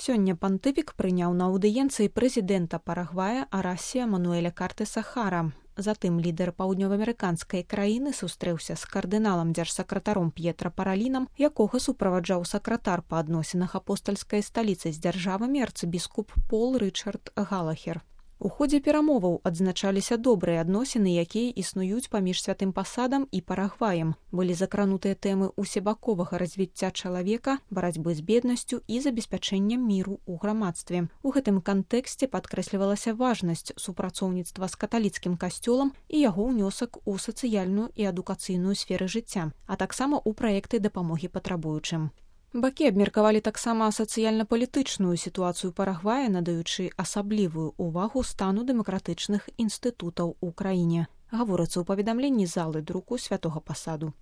Сёння пантыфік прыняў на аўдыенцыі прэзідэнта Парагвая Арасія Мануэля Картеса Хара. Затым лідар паўднёваамерыканскай краіны сустрэўся з кардыналам дзяржсакратаром П'етра Паралінам, якога суправаджаў сакратар па адносінах апостальскай сталіцы з дзяржавамі арцыбіскуп Пол Рычард Галахер. У ходзе перамоваў адзначаліся добрыя адносіны, якія існуюць паміж святым пасадам і Парагваем. Былі закранутыя тэмы усебаковага развіцця чалавека, барацьбы з беднасцю і забеспячэннем міру ў грамадстве. У гэтым кантэксце падкрэслівалася важнасць супрацоўніцтва з каталіцкім касцёлам і яго ўнёсак у сацыяльную і адукацыйную сферы жыцця, а таксама ў праекты дапамогі патрабуючым. Бакі абмеркавалі таксама сацыяльна-палітычную сітуацыю Парагвая, надаючы асаблівую ўвагу стану дэмакратычных інстытутаў у краіне. Гаворыцца ў паведамленні залы друку святога пасаду.